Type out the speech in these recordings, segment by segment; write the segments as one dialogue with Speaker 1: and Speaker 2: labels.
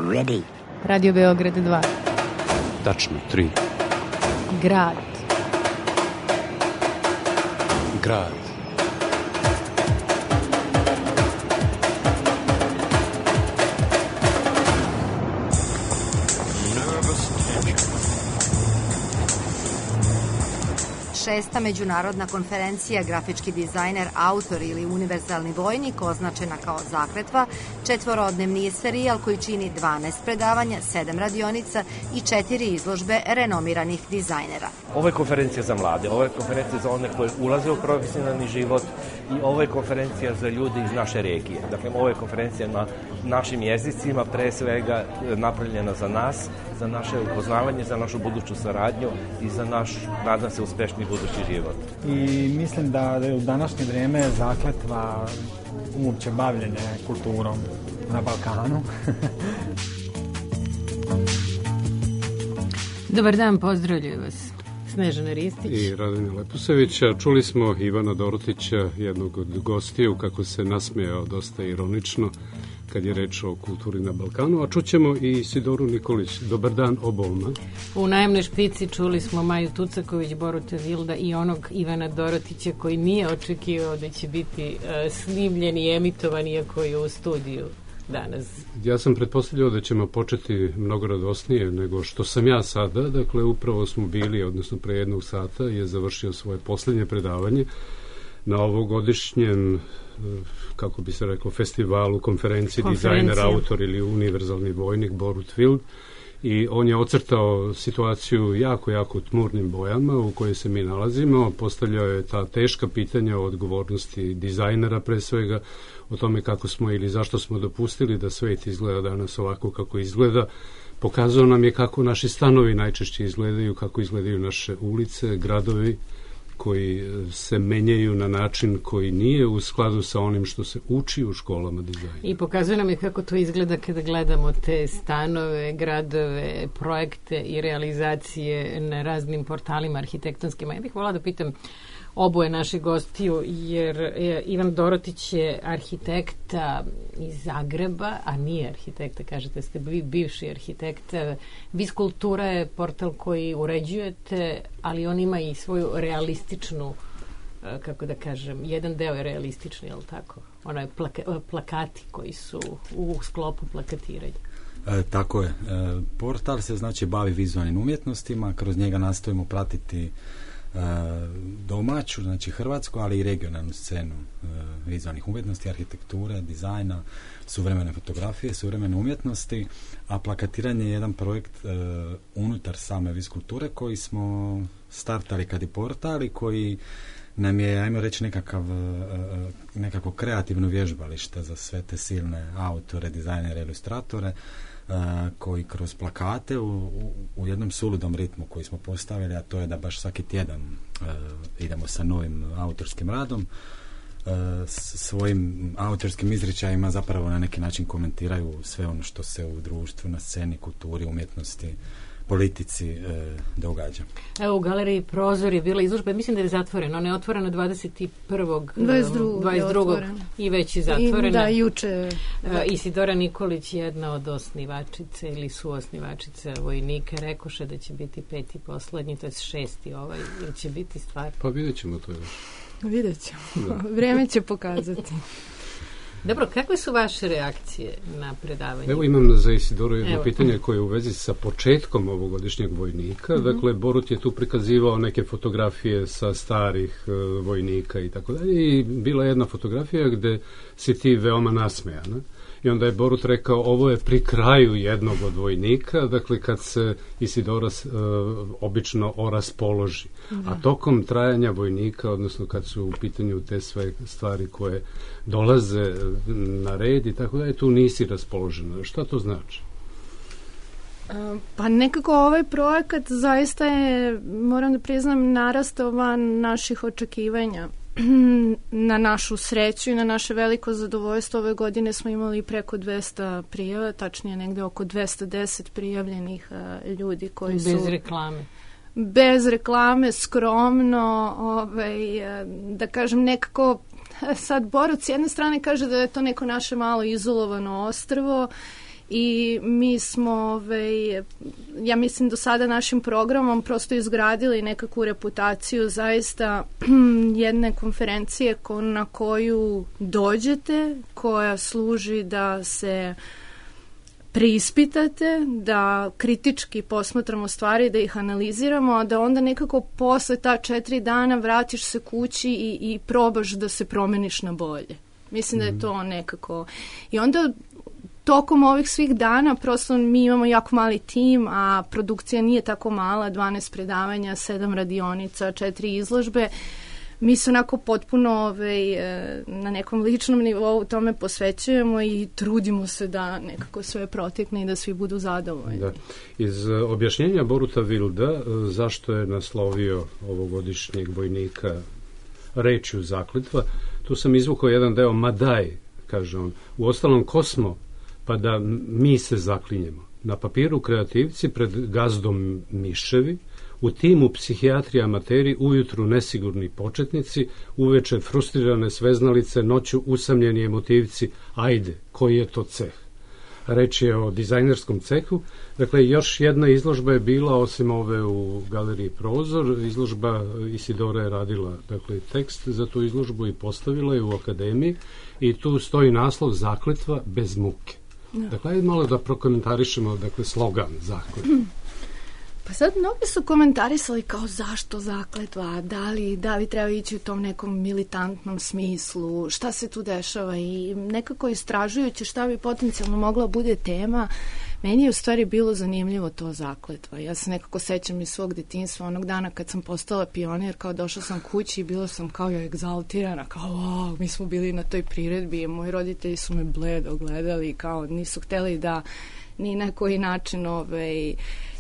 Speaker 1: Ready.
Speaker 2: Radio Beograd 2.
Speaker 3: Tačno, 3.
Speaker 2: Grad.
Speaker 3: Grad.
Speaker 4: Šesta međunarodna konferencija Grafički dizajner, autor ili univerzalni vojnik, označena kao zakletva, 4-dnevni serijal koji čini 12 predavanja, 7 radionica i 4 izložbe renomiranih dizajnera.
Speaker 5: Ovo je konferencija za mlade, ovo je konferencija za one koji ulaze u profesionalni život i ovo je konferencija za ljude iz naše regije. Dakle, ovo je konferencija na našim jezicima, pre svega napravljena za nas, za naše upoznavanje, za našu buduću saradnju i za naš, nadam se, uspešni budući život.
Speaker 6: I mislim da je u današnje vreme zakletva uopće bavljenje kulturom na Balkanu.
Speaker 2: Dobar dan, pozdravljaju vas Snežana Ristić
Speaker 3: i Radonja Leposevića. Čuli smo Ivana Dorotića, jednog od gostiju, kako se nasmejao dosta ironično kad je reč o kulturi na Balkanu, a čućemo i Sidoru Nikolić. Dobar dan obolma.
Speaker 2: U najemnoj špici čuli smo Maju Tucaković, Boruta Vilda i onog Ivana Dorotića koji nije očekivao da će biti snimljen i emitovan, iako je u studiju danas.
Speaker 3: Ja sam pretpostavljao da ćemo početi mnogo radosnije nego što sam ja sada. Dakle, upravo smo bili, odnosno pre 1 sata je završio svoje poslednje predavanje na ovogodišnjem, kako bi se reklo, festivalu, konferenciji dizajner, autor ili univerzalni vojnik Borut Vild. I on je ocrtao situaciju jako tmurnim bojama u kojoj se mi nalazimo. Postavljao je ta teška pitanja o odgovornosti dizajnera pre svega, o tome kako smo ili zašto smo dopustili da svet izgleda danas ovako kako izgleda. Pokazao nam je kako naši stanovi najčešće izgledaju, kako izgledaju naše ulice, gradovi koji se menjaju na način koji nije u skladu sa onim što se uči u školama dizajna.
Speaker 2: I pokazuje nam je kako to izgleda kada gledamo te stanove, gradove, projekte i realizacije na raznim portalima arhitektonskim. Ja bih volila da pitam oboje naših gostiju, jer Ivan Dorotić je arhitekta iz Zagreba, a nije arhitekta, kažete, ste bivši arhitekta. Viz Kultura je portal koji uređujete, ali on ima i svoju realističnu, kako da kažem, jedan deo je realistični, je li tako? Ono je plakati koji su u sklopu plakatiranja.
Speaker 7: Tako je. Portal se znači bavi vizualnim umjetnostima, kroz njega nastojimo pratiti domaću, znači hrvatsku, ali i regionalnu scenu vizualnih umjetnosti, arhitekture, dizajna, suvremene fotografije, suvremene umjetnosti, a plakatiranje je jedan projekt unutar same Viz Kulture koji smo startali kad je portal i koji nam je, ajmo reći, nekako kreativno vježbalište za sve te silne autore, dizajnere, ilustratore, koji kroz plakate u jednom suludom ritmu koji smo postavili, a to je da baš svaki tjedan idemo sa novim autorskim radom, svojim autorskim izričajima zapravo na neki način komentiraju sve ono što se u društvu, na sceni, kulturi, umjetnosti, politici događa.
Speaker 2: Evo, u galeriji Prozor je bila izložba, mislim da je zatvorena, ona je otvorena 22. i već je zatvorena.
Speaker 8: Da, juče.
Speaker 2: Isidora Nikolić, jedna od osnivačice ili suosnivačice vojnika, rekoše da će biti 5. poslednji, to je 6. ili će biti stvar.
Speaker 3: Pa vidjet ćemo to još.
Speaker 8: Vidjet ćemo. Vreme će pokazati.
Speaker 2: Dobro, kakve su vaše reakcije na predavanje?
Speaker 3: Evo imam za Isidoru jedno pitanje koje je u vezi sa početkom ovogodišnjeg vojnika. Dakle, Borut je tu prikazivao neke fotografije sa starih vojnika i tako dalje. I bila je jedna fotografija gde si ti veoma nasmejana. I onda je Borut rekao, ovo je pri kraju jednog od vojnika, dakle kad se Isidora obično oraspoloži. A tokom trajanja vojnika, odnosno kad su u pitanju te sve stvari koje dolaze na red i tako dalje, tu nisi raspoložena. Šta to znači?
Speaker 8: Pa nekako ovaj projekat zaista je, moram da priznam, narastao van naših očekivanja. Na našu sreću i na naše veliko zadovoljstvo ove godine smo imali preko 200 prijava, tačnije negde oko 210 prijavljenih ljudi koji su...
Speaker 2: Bez reklame.
Speaker 8: Bez reklame, skromno, da kažem nekako, sad Borut s jedne strane kaže da je to neko naše malo izolovano ostrvo i mi smo, ja mislim, do sada našim programom prosto izgradili nekakvu reputaciju zaista jedne konferencije na koju dođete, koja služi da se preispitate, da kritički posmatramo stvari, da ih analiziramo, a da onda nekako posle ta 4 dana vratiš se kući i probaš da se promeniš na bolje. Mislim da je to nekako. I onda tokom ovih svih dana prosto mi imamo jako mali tim, a produkcija nije tako mala, 12 predavanja, 7 radionica, 4 izložbe. Mi se onako potpuno na nekom ličnom nivou tome posvećujemo i trudimo se da nekako sve protekne i da svi budu zadovoljni. Da.
Speaker 3: Iz objašnjenja Boruta Wilda zašto je naslovio ovogodišnjeg vojnika rečju zakletva, tu sam izvukao jedan deo Madaj, kaže on. U ostalom kosmo, pa da mi se zaklinjemo. Na papiru kreativci pred gazdom miševi, u timu psihijatrija amateri, ujutru nesigurni početnici, uveče frustrirane sveznalice, noću usamljeni emotivci. Ajde, koji je to ceh? Reč je o dizajnerskom cehu. Dakle, još jedna izložba je bila, osim ove u galeriji Prozor, izložba Isidora je radila tekst za tu izložbu i postavila je u akademiji i tu stoji naslov Zakletva bez muke. Dakle, ajde malo da prokomentarišemo slogan zakletva.
Speaker 8: Pa sad mnogi su komentarisali kao zašto zakletva, da li treba ići u tom nekom militantnom smislu, šta se tu dešava i nekako istražujući šta bi potencijalno mogla bude tema, meni je u stvari bilo zanimljivo to zakletva. Ja se nekako sećam iz svog detinjstva onog dana kad sam postala pionir, kao došla sam kući i bila sam kao egzaltirana, kao mi smo bili na toj priredbi i moji roditelji su me bledo gledali, kao nisu hteli da ni na koji način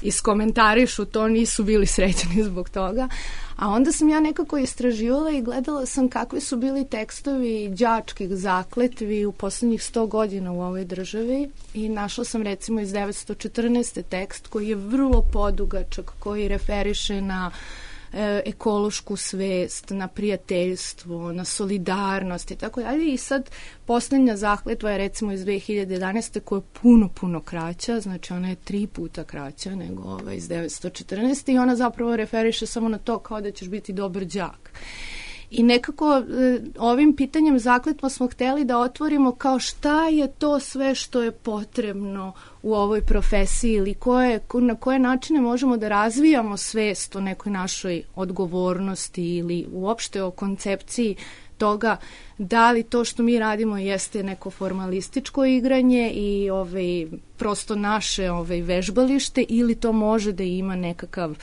Speaker 8: iskomentarišu to, nisu bili srećani zbog toga. A onda sam ja nekako istraživala i gledala sam kakvi su bili tekstovi đačkih zakletvi u poslednjih 100 godina u ovoj državi i našla sam recimo iz 914. tekst koji je vrlo podugačak, koji referiše na ekološku svest, na prijateljstvo, na solidarnost i tako dalje. I sad poslednja zakletva je recimo iz 2011. koja je puno kraća, znači ona je 3 puta kraća nego iz 914. i ona zapravo referiše samo na to kao da ćeš biti dobar đak. I nekako ovim pitanjem zakletva smo hteli da otvorimo kao šta je to sve što je potrebno u ovoj profesiji ili na koje načine možemo da razvijamo svest o nekoj našoj odgovornosti ili uopšte o koncepciji toga da li to što mi radimo jeste neko formalističko igranje i prosto naše vežbalište ili to može da ima nekakav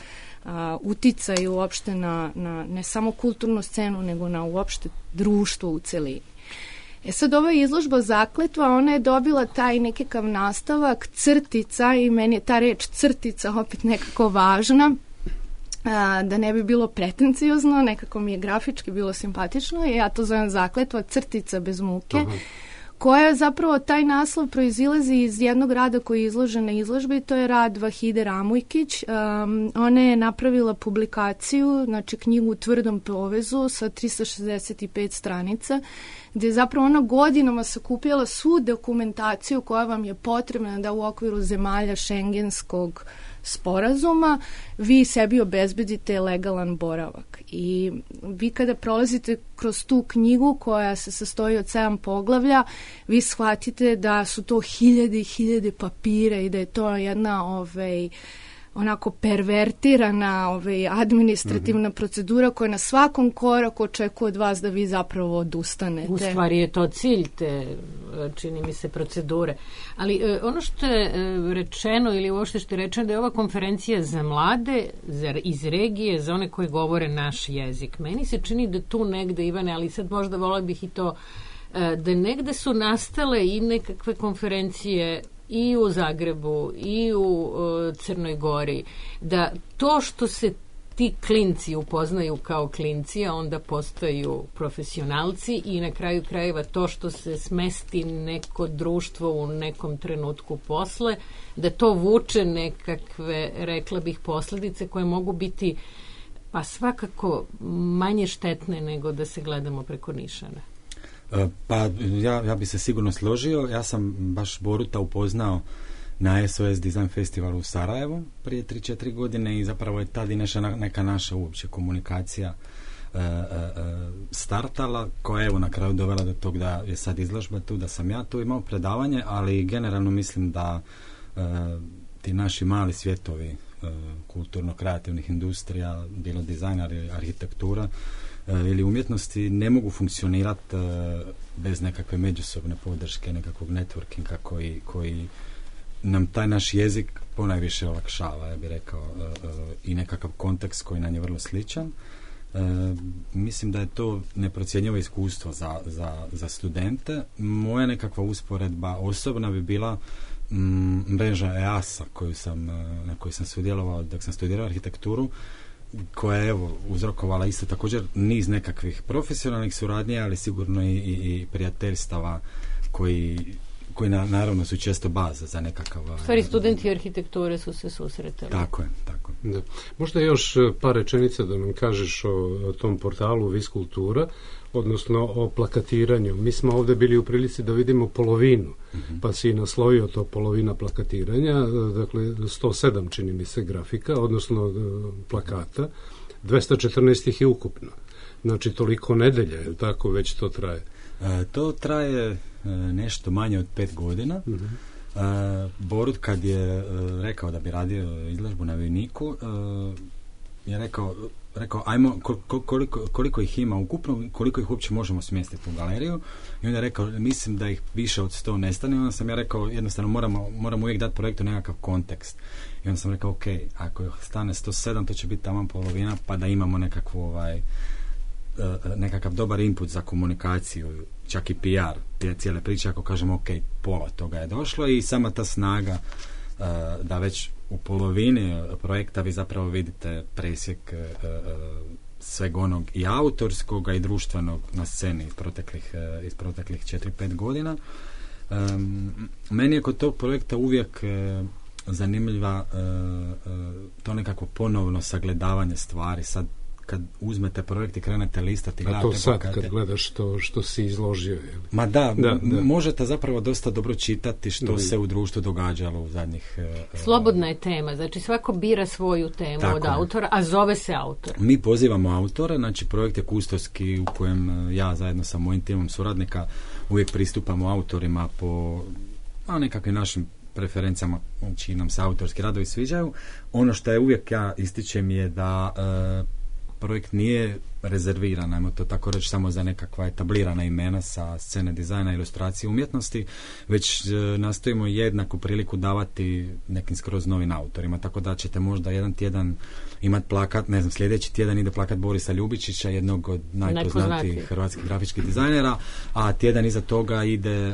Speaker 8: uticaj uopšte na ne samo kulturnu scenu, nego na uopšte društvo u celini. Sad ova izložba zakletva, ona je dobila taj nekakav nastavak crtica i meni je ta reč crtica opet nekako važna, da ne bi bilo pretenciozno, nekako mi je grafički bilo simpatično i ja to zovem zakletva crtica bez muke. Aha. Koja zapravo taj naslov proizilazi iz jednog rada koji je izložen na izložbi, to je rad Vahide Ramujkić. Ona je napravila publikaciju, znači knjigu u tvrdom povezu sa 365 stranica, gde je zapravo ona godinama sakupljala svu dokumentaciju koja vam je potrebna da u okviru zemalja šengenskog sporazuma vi sebi obezbedite legalan boravak. I vi kada prolazite kroz tu knjigu koja se sastoji od 7 poglavlja, vi shvatite da su to hiljade i hiljade papira i da je to jedna onako pervertirana administrativna procedura koja na svakom koraku očekuje od vas da vi zapravo odustanete.
Speaker 2: U stvari je to cilj te, čini mi se, procedure. Ali ono što je rečeno ili uopšte što je rečeno da je ova konferencija za mlade iz regije, za one koji govore naš jezik. Meni se čini da tu negde, Ivane, ali sad možda volila bih i to, da negde su nastale i nekakve konferencije i u Zagrebu i u Crnoj Gori, da to što se ti klinci upoznaju kao klinci, a onda postaju profesionalci i na kraju krajeva to što se smesti neko društvo u nekom trenutku posle, da to vuče nekakve, rekla bih, posledice koje mogu biti pa svakako manje štetne nego da se gledamo preko nišana.
Speaker 7: Pa ja bi se sigurno složio. Ja sam baš Boruta upoznao na SOS Design Festivalu u Sarajevu prije 3-4 godine i zapravo je tad i neka naša uopće komunikacija startala, koja je evo na kraju dovela do tog da je sad izložba tu, da sam ja tu imao predavanje, ali generalno mislim da ti naši mali svjetovi kulturno-kreativnih industrija, bilo dizajna, arhitektura ili umjetnosti ne mogu funkcionirati bez nekakve međusobne podrške, nekakvog networkinga koji nam taj naš jezik ponajviše olakšava, ja bih rekao, i nekakav kontekst koji nam je vrlo sličan. Mislim da je to neprocjenjivo iskustvo za studente. Moja nekakva usporedba osobna bi bila mreža EASA na kojoj sam sudjelovao dok sam studirao arhitekturu, koja je uzrokovala isto također niz nekakvih profesionalnih suradnja, ali sigurno i prijateljstava koji naravno su često baza za nekakav...
Speaker 2: Stvari, studenti arhitekture su se susretali.
Speaker 7: Tako je.
Speaker 3: Da. Možda još par rečenica da nam kažeš o tom portalu Viskultura, odnosno o plakatiranju. Mi smo ovdje bili u prilici da vidimo polovinu, pa si naslovio to polovina plakatiranja, dakle 107 čini mi se grafika, odnosno plakata, 214 ih je ukupno. Znači toliko nedelja, je tako već to traje?
Speaker 7: To traje nešto manje od 5 godina. Borut kad je rekao da bi radio izložbu na Vojniku, je rekao ajmo koliko ih ima ukupno, koliko ih uopće možemo smjestiti u galeriju, i onda je rekao mislim da ih više od 100 nestane. Onda sam ja rekao jednostavno moramo uvijek dati projektu nekakav kontekst, i onda sam rekao ok, ako stane 107 to će biti taman polovina, pa da imamo nekakav dobar input za komunikaciju, čak i PR cijele priče, ako kažemo ok, pola toga je došlo, i sama ta snaga da već u polovini projekta vi zapravo vidite presjek sveg onog i autorskog i društvenog na sceni iz proteklih 4-5 godina. Meni je kod tog projekta uvijek zanimljiva to nekako ponovno sagledavanje stvari. Sad kad uzmete projekt i krenete listati,
Speaker 3: a to sad kad gledaš što si izložio, je li?
Speaker 7: Ma da, možete zapravo dosta dobro čitati što se u društvu događalo u zadnjih...
Speaker 2: Slobodna je tema, znači svako bira svoju temu od autora, a zove se autor.
Speaker 7: Mi pozivamo autora, znači projekt je kustoski u kojem ja zajedno sa mojim timom suradnika uvijek pristupamo autorima po nekakvim našim preferencijama, čiji nam se autorski radovi sviđaju. Ono što je uvijek ja ističem je da projekt nije rezerviran, ajmo to tako reći, samo za nekakva etablirana imena sa scene dizajna, ilustracije, umjetnosti, već nastojimo jednaku priliku davati nekim skroz novim autorima, tako da ćete možda jedan tjedan imati plakat, ne znam, sljedeći tjedan ide plakat Borisa Ljubičića, jednog od najpoznatijih hrvatskih grafičkih dizajnera, a tjedan iza toga ide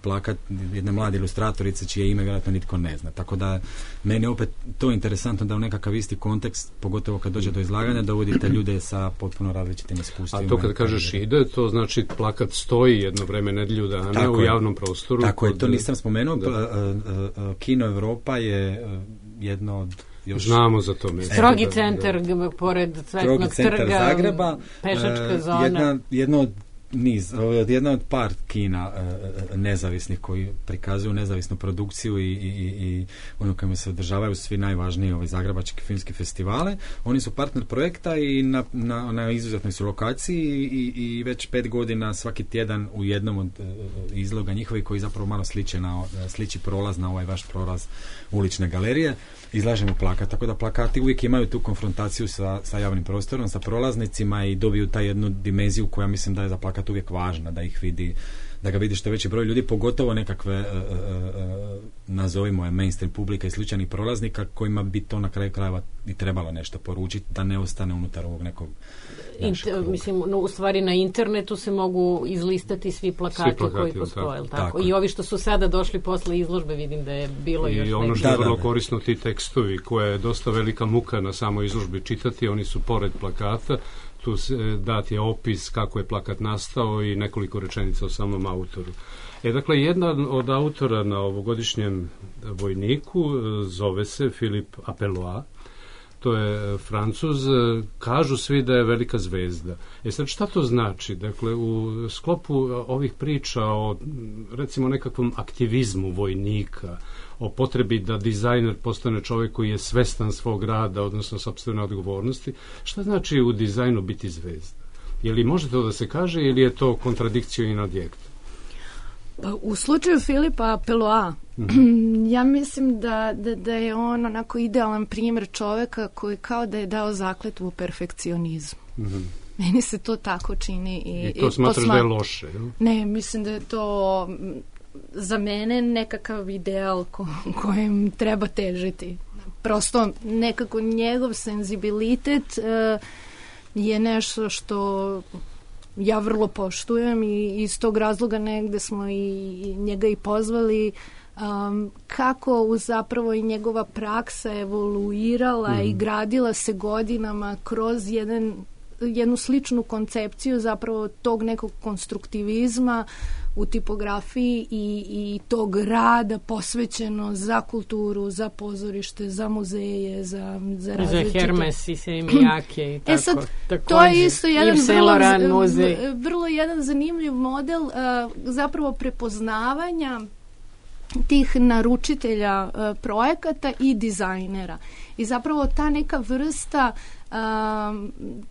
Speaker 7: plakat jedne mlade ilustratorice čije ime vjerojatno nitko ne zna. Tako da meni opet to interesantno da u nekakav isti kontekst, pogotovo kad dođe do izlaganja, dovodite ljude sa potpuno različitim iskustvima.
Speaker 3: A to kad kažeš ide, to znači plakat stoji jedno vreme, nedjelju dana tako u javnom prostoru.
Speaker 7: Tako je, to nisam spomenuo. Kino Europa je jedno od
Speaker 3: znamo za to mjesto.
Speaker 2: Strogi centar pored Cvetnog trga,
Speaker 7: Zagreba,
Speaker 2: pešačka zona.
Speaker 7: Jedna od par kina nezavisnih koji prikazuju nezavisnu produkciju i ono kojima se održavaju svi najvažniji zagrebački filmski festivale. Oni su partner projekta i na izuzetnoj su lokaciji i već 5 godina svaki tjedan u jednom od izloga njihovi koji zapravo malo sliči prolaz na ovaj vaš prolaz ulične galerije. Izlažemo plakat, tako da plakati uvijek imaju tu konfrontaciju sa javnim prostorom, sa prolaznicima i dobiju taj jednu dimenziju koja mislim da je za plakat uvijek važna, da ga vidi što veći broj ljudi, pogotovo nekakve nazovimo je mainstream publika i slučajnih prolaznika kojima bi to na kraju krajeva i trebalo nešto poručiti, da ne ostane unutar ovog nekog
Speaker 2: u stvari na internetu se mogu izlistati svi plakati koji postoje, tako? I ovi što su sada došli posle izložbe, vidim da je bilo još
Speaker 3: i ono što je vrlo korisno, ti tekstovi koje je dosta velika muka na samoj izložbi čitati, oni su pored plakata, tu dat je opis kako je plakat nastao i nekoliko rečenica o samom autoru. Dakle, jedan od autora na ovogodišnjem Vojniku zove se Filip Apeloa. to je Francuz, kažu svi da je velika zvezda. Sad, šta to znači? Dakle, u sklopu ovih priča o, recimo, nekakvom aktivizmu vojnika, o potrebi da dizajner postane čovjek koji je svestan svog rada, odnosno sopstvene odgovornosti, šta znači u dizajnu biti zvezda? Je li može to da se kaže ili je to kontradikcija in adjekt?
Speaker 8: Pa, u slučaju Filipa Peloa, ja mislim da je on onako idealan primjer čoveka koji kao da je dao zakletvu perfekcionizmu. Meni se to tako čini.
Speaker 3: I to smatraš da je loše?
Speaker 8: Ne, mislim da je to za mene nekakav ideal kojem treba težiti. Prosto nekako njegov senzibilitet je nešto što ja vrlo poštujem i iz tog razloga negde smo i njega i pozvali, kako zapravo i njegova praksa evoluirala i gradila se godinama kroz jednu sličnu koncepciju zapravo tog nekog konstruktivizma u tipografiji i tog rada posvećeno za kulturu, za pozorište, za muzeje, za različite...
Speaker 2: Za Hermes i Semijake i tako.
Speaker 8: Sad, to je isto jedan vrlo jedan zanimljiv model zapravo prepoznavanja tih naručitelja projekata i dizajnera. I zapravo ta neka vrsta,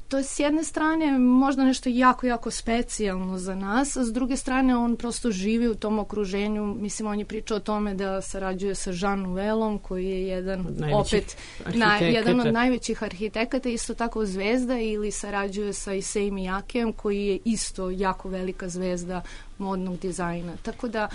Speaker 8: to je s jedne strane možda nešto jako, jako specijalno za nas, a s druge strane on prosto živi u tom okruženju. Mislim, on je pričao o tome da sarađuje sa Jean Nouvelom, koji je jedan od najvećih arhitekata, isto tako zvezda, ili sarađuje sa Issei Miyakeom, koji je isto jako velika zvezda modnog dizajna. Tako da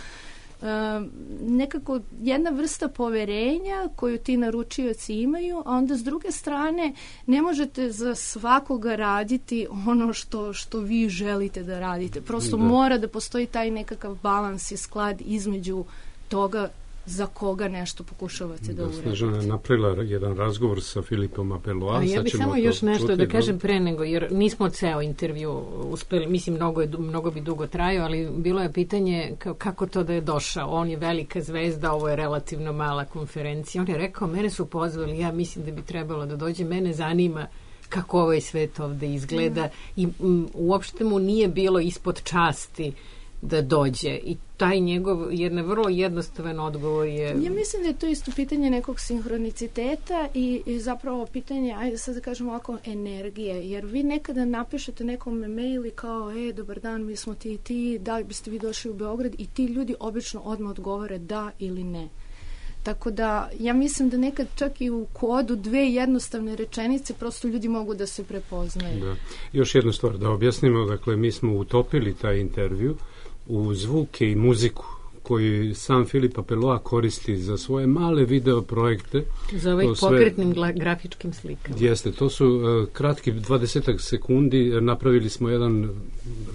Speaker 8: nekako jedna vrsta poverenja koju ti naručioci imaju, a onda s druge strane ne možete za svakoga raditi ono što vi želite da radite. Prosto mora da postoji taj nekakav balans i sklad između toga za koga nešto pokušavate da uradite.
Speaker 3: Snežana je napravila jedan razgovor sa Filipom Peloa.
Speaker 2: Ja bih samo još nešto da kažem pre nego, jer nismo ceo intervju uspeli, mislim, mnogo bi dugo trajao, ali bilo je pitanje kako to da je došao. On je velika zvezda, ovo je relativno mala konferencija. On je rekao, mene su pozvali, ja mislim da bi trebalo da dođe, mene zanima kako ovaj svet ovde izgleda i uopšte mu nije bilo ispod časti da dođe i taj njegov vrlo jednostavan odgovor je...
Speaker 8: Ja mislim da je to isto pitanje nekog sinhroniciteta i zapravo pitanje, ajde sad da kažemo ovako, energije, jer vi nekada napišete nekom mail i kao, dobar dan, mi smo ti i ti, da li biste vi došli u Beograd, i ti ljudi obično odmah odgovore da ili ne. Tako da, ja mislim da nekad čak i u kodu dve jednostavne rečenice prosto ljudi mogu da se prepoznaju.
Speaker 3: Da. Još jednu stvar da objasnimo, dakle, mi smo utopili taj intervju u zvuke i muziku koji sam Filipa Peloa koristi za svoje male video projekte.
Speaker 2: Za ovih pokretnim grafičkim slikama.
Speaker 3: Jeste, to su kratki 20 sekundi, napravili smo jedan,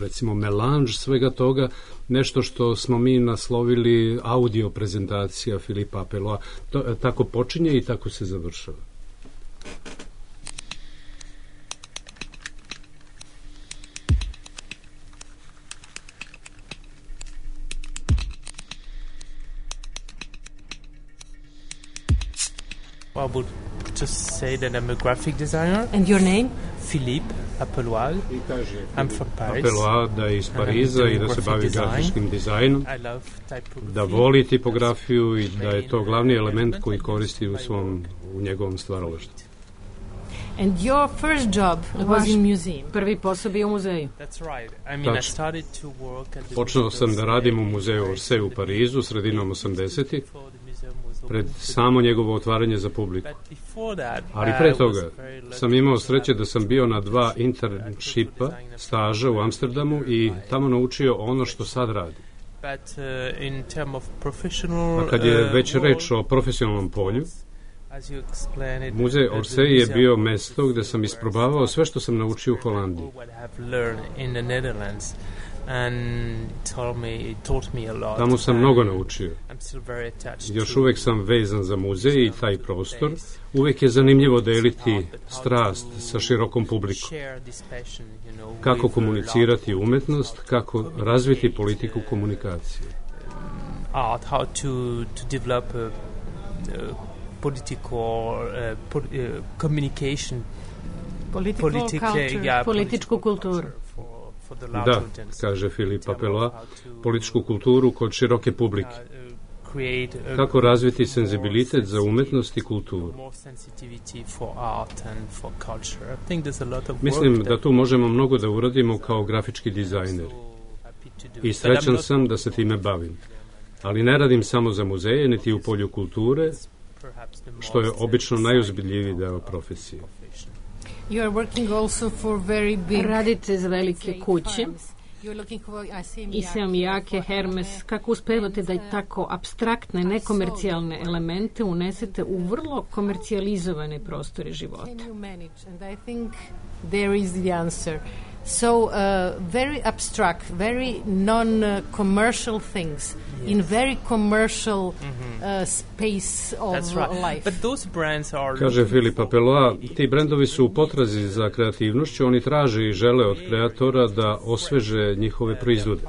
Speaker 3: recimo, melanž svega toga, nešto što smo mi naslovili audio prezentacija Filipa Peloa. Tako počinje i tako se završava.
Speaker 1: I would just say that I'm a graphic designer.
Speaker 2: And your name?
Speaker 1: Philippe Apelois. I'm from Paris.
Speaker 3: Apelois, da je iz Pariza i da se bavi grafičkim dizajnom, da voli tipografiju i da je to glavni element koji koristi u njegovom stvaralaštvu.
Speaker 2: And your first job was in museum. Prvi posao bio u muzeju.
Speaker 3: Počeo sam da radim u muzeju Orsay u Parizu sredinom 80-ih, pred samo njegovo otvaranje za publiku. Ali pre toga sam imao sreće da sam bio na 2 internshipa, staža u Amsterdamu i tamo naučio ono što sad radim. A kad je već reč o profesionalnom polju, Muzej Orsay je bio mesto gde sam isprobavao sve što sam naučio u Holandiji. Tamo sam mnogo naučio. Još uvek sam vezan za muzej i taj prostor. Uvek je zanimljivo deliti strast sa širokom publikom. Kako komunicirati umetnost, kako razviti politiku komunikacije.
Speaker 1: political communication,
Speaker 2: političku kulturu.
Speaker 3: Da, kaže Filip Apeloa, političku kulturu kod široke publike. Kako razviti senzibilitet za umetnost i kulturu. Mislim da tu možemo mnogo da uradimo kao grafički dizajner. I srećan sam da se time bavim. Ali ne radim samo za muzeje, niti u polju kulture, što je obično najozbiljljiviji deo profesije.
Speaker 2: Radite za velike kuće, Iseom, Jake, Hermes. Kako uspevate da i tako apstraktne, nekomercijalne elemente unesete u vrlo komercijalizovane prostore života?
Speaker 9: So very abstract, very non-commercial things in very commercial space of life.
Speaker 1: But those brands are...
Speaker 3: Kaže Filip Apeloa, ti brendovi su u potrazi za kreativnošću, oni traže i žele od kreatora da osveže njihove proizvode.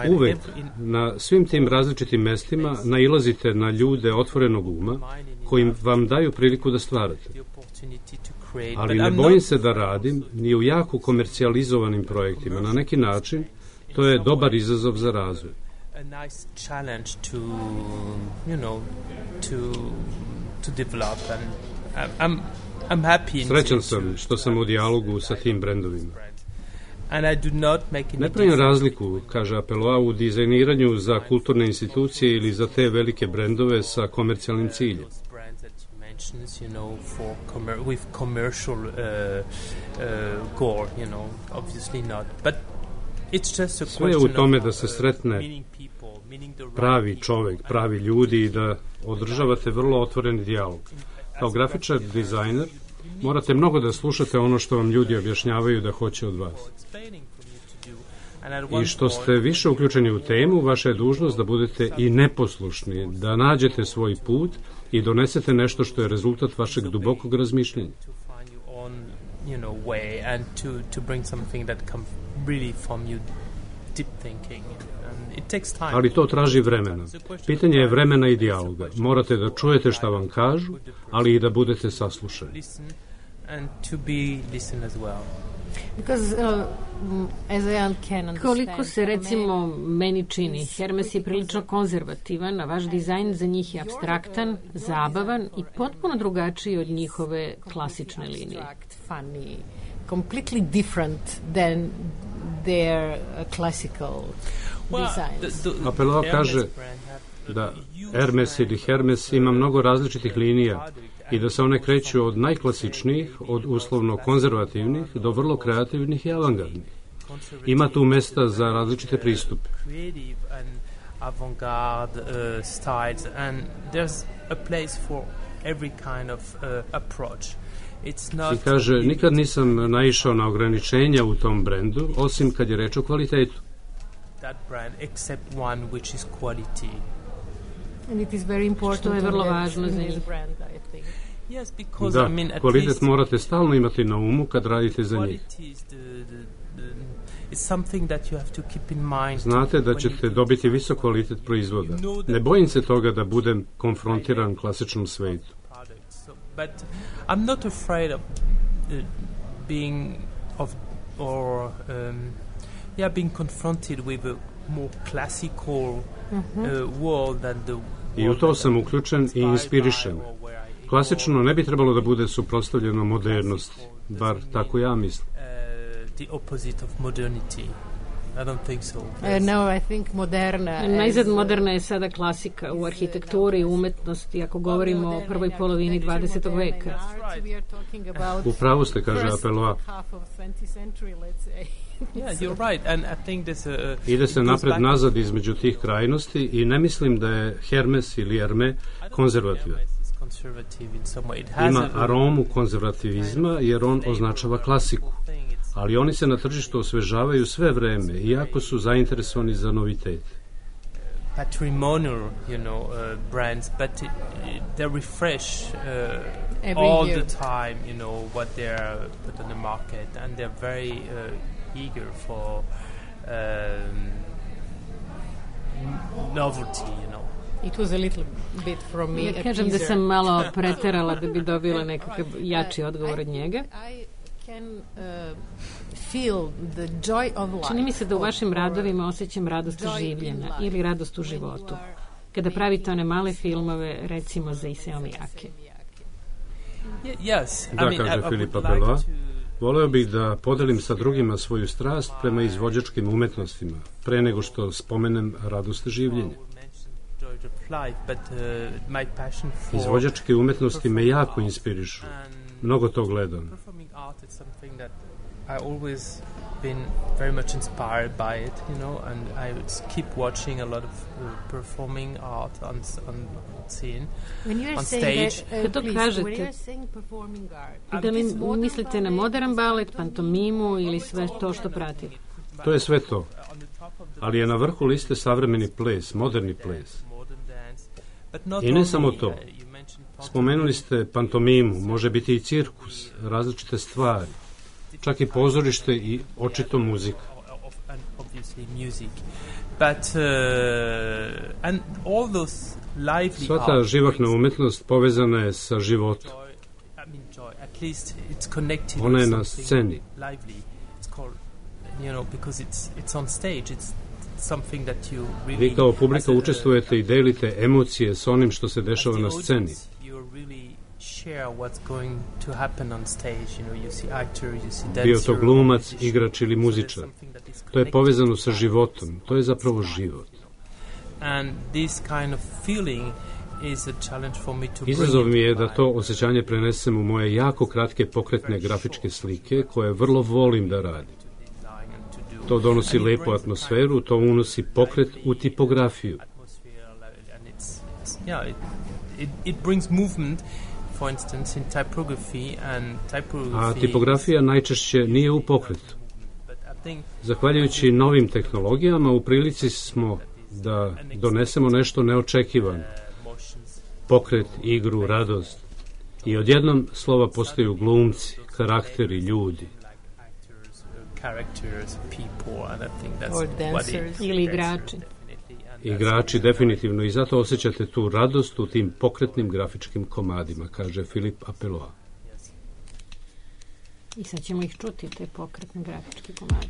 Speaker 3: Uvek na svim tim različitim mestima nailazite na ljude otvorenog uma koji vam daju priliku da stvarate. Ali ne bojim se da radim ni u jako komercijalizovanim projektima. Na neki način to je dobar izazov za razvoj. Srećan sam što sam u dijalogu sa tim brendovima. Ne pravim razliku, kaže Apeloa, u dizajniranju za kulturne institucije ili za te velike brendove sa komercijalnim ciljem.
Speaker 1: With commercial goal, obviously not. But it's just a question.
Speaker 3: Sve je u tome da se sretne pravi čovek, pravi ljudi i da održavate vrlo otvoreni dijalog. Kao grafičar, dizajner, morate mnogo da slušate ono što vam ljudi objašnjavaju da hoće od vas. I što ste više uključeni u temu, vaša je dužnost da budete i neposlušni, da nađete svoj put i donesete nešto što je rezultat vašeg dubokog razmišljenja. Ali to traži vremena. Pitanje je vremena i dijaloga. Morate da čujete šta vam kažu, ali i da budete saslušani.
Speaker 2: Koliko se, recimo, meni čini, Hermes je prilično konzervativan, a vaš dizajn za njih je apstraktan, zabavan i potpuno drugačiji od njihove klasične linije.
Speaker 9: Completely different than their classical designs.
Speaker 3: Apeloa kaže da Hermes ili Hermes ima mnogo različitih linija i da se one kreću od najklasičnijih, od uslovno konzervativnih do vrlo kreativnih i avangardnih. Ima tu mesta za različite pristupe. I kaže, nikad nisam naišao na ograničenja u tom brendu, osim kad je reč o kvalitetu.
Speaker 2: Što je vrlo važno za njih.
Speaker 3: Da, kvalitet morate stalno imati na umu kad radite za njih. Znate da ćete dobiti visok kvalitet proizvoda. Ne bojim se toga da budem konfrontiran klasičnom svetu.
Speaker 1: But I'm not afraid of being confronted with a more classical world than the.
Speaker 3: I u to sam uključen i inspirišen. Klasično ne bi trebalo da bude suprotstavljeno modernosti, bar tako ja mislim.
Speaker 1: The opposite of modernity. I don't think so.
Speaker 9: No, I think moderna.
Speaker 2: Najzad moderna je sada klasika u arhitekturi i umetnosti, ako govorimo o prvoj polovini 20. veka.
Speaker 3: U pravu ste, kaže Apeloa. Ide se napred-nazad između tih krajnosti i ne mislim da je Hermes ili Hermé konzervativan. Ima aromu konzervativizma jer on označava klasiku. Ali oni se na tržištu osvežavaju sve vreme, iako su zainteresovani za novitet.
Speaker 1: Patrimonial, brands, but they refresh all the time, what they're put on the market, and they're very eager for novelty,
Speaker 9: It was a little bit from me.
Speaker 2: Ja kažem da sam malo preterala da bi dobila nekakav jači odgovor od njega.
Speaker 9: I can feel the joy of life.
Speaker 2: Čini mi se da u vašim radovima osjećam radost življenja ili radost u životu. Kada pravite one male filmove, recimo za Isao Miyake.
Speaker 3: Da, kaže Filip Apeloa. Voleo bih da podelim sa drugima svoju strast prema izvođačkim umetnostima, pre nego što spomenem radost življenja. Izvođačke umetnosti me jako inspirišu. Mnogo to gledam.
Speaker 1: I always been very much inspired by it, you know, and I keep watching a lot of performing art on scene, on stage.
Speaker 2: Kad kažete, da li mislite na modern balet, pantomimu ili sve to što pratite?
Speaker 3: To je sve to. Ali je na vrhu liste savremeni ples, moderni ples. I ne samo to. Spomenuli ste pantomimu, može biti i cirkus, različite stvari. Čak i pozorište i očito muzika. Sva ta živahna umetnost povezana je sa životom. Ona je na sceni. Vi kao publika učestvujete i delite emocije s onim što se dešava na sceni. Bio to glumac, igrač ili muzičar. To je povezano sa životom. To je zapravo život. Izazov mi je da to osjećanje prenesem u moje jako kratke pokretne grafičke slike, koje vrlo volim da radim. To donosi lepu atmosferu, to unosi pokret u tipografiju. A tipografija najčešće nije u pokretu. Zahvaljujući novim tehnologijama u prilici smo da donesemo nešto neočekivano. Pokret, igru, radost. I odjednom slova postaju glumci, karakteri, ljudi.
Speaker 2: Ili igrači.
Speaker 3: Igrači, definitivno, i zato osjećate tu radost u tim pokretnim grafičkim komadima, kaže Filip Apeloa.
Speaker 2: I sad ćemo ih čuti, te pokretne grafičke komade.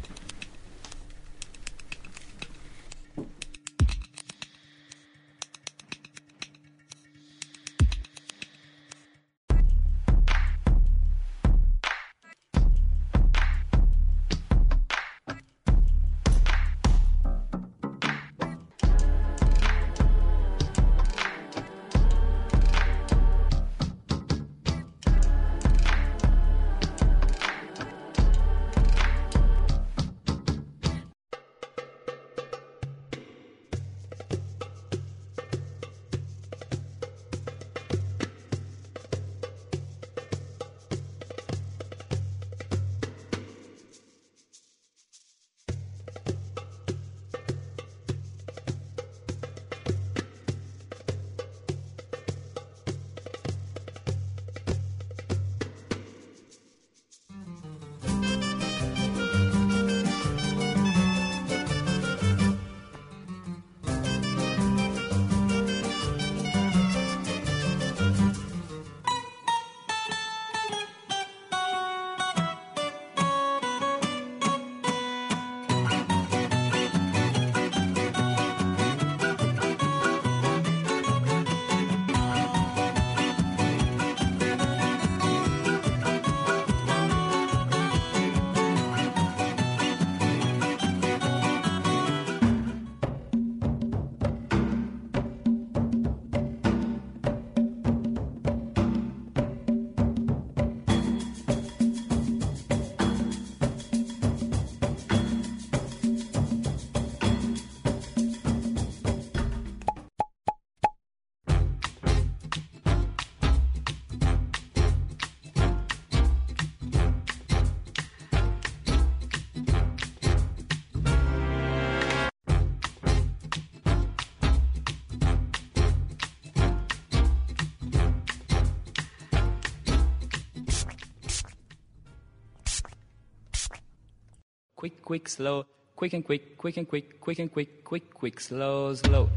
Speaker 10: quick, quick, slow, quick and quick, quick and quick, quick and quick, quick, quick, slow, slow.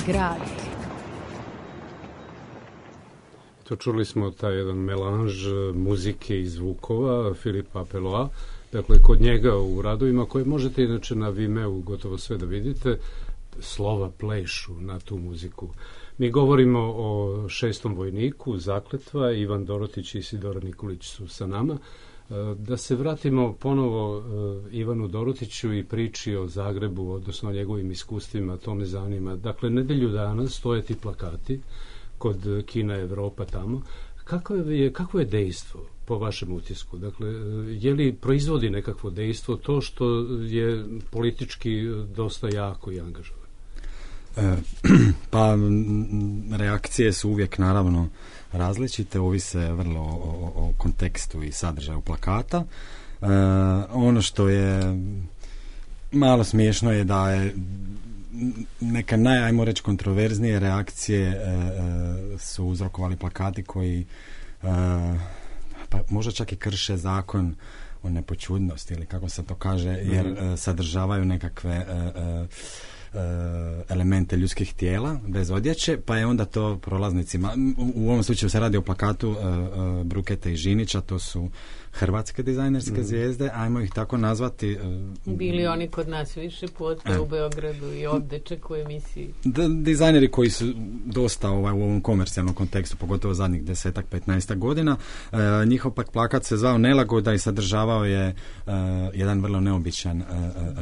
Speaker 9: grad.
Speaker 3: To čuli smo taj jedan melanž muzike i zvukova Filipa Apeloa. Dakle, kod njega u radovima koje možete inače na Vimeu gotovo sve da vidite, slova plešu na tu muziku. Mi govorimo o 6. vojniku, Zakletva, Ivan Dorotić i Isidora Nikolić su sa nama. Da se vratimo ponovo Ivanu Dorotiću i priči o Zagrebu, odnosno o njegovim iskustvima, to me zanima. Dakle, nedelju dana stoje ti plakati kod Kina Evropa tamo. Kako je dejstvo po vašem utisku? Dakle, je li proizvodi nekakvo dejstvo to što je politički dosta jako i angažovano?
Speaker 7: Pa reakcije su uvijek naravno različite, ovise vrlo o kontekstu i sadržaju plakata. Ono što je malo smiješno je da je neka ajmo reći kontroverznije reakcije su uzrokovali plakati koji pa možda čak i krše zakon o nepoćudnosti ili kako se to kaže, jer sadržavaju nekakve elemente ljudskih tijela bez odjeće, pa je onda to prolaznicima, u ovom slučaju se radi o plakatu Bruketa i Žinića, to su hrvatske dizajnerske zvijezde, ajmo ih tako nazvati.
Speaker 2: Bili oni kod nas više puta u Beogradu i ovdje čeku emisiji.
Speaker 7: Dizajneri koji su dosta u ovom komercijalnom kontekstu, pogotovo zadnjih 10-15 godina. Njihov pak plakat se zvao Nelagoda i sadržavao je jedan vrlo neobičan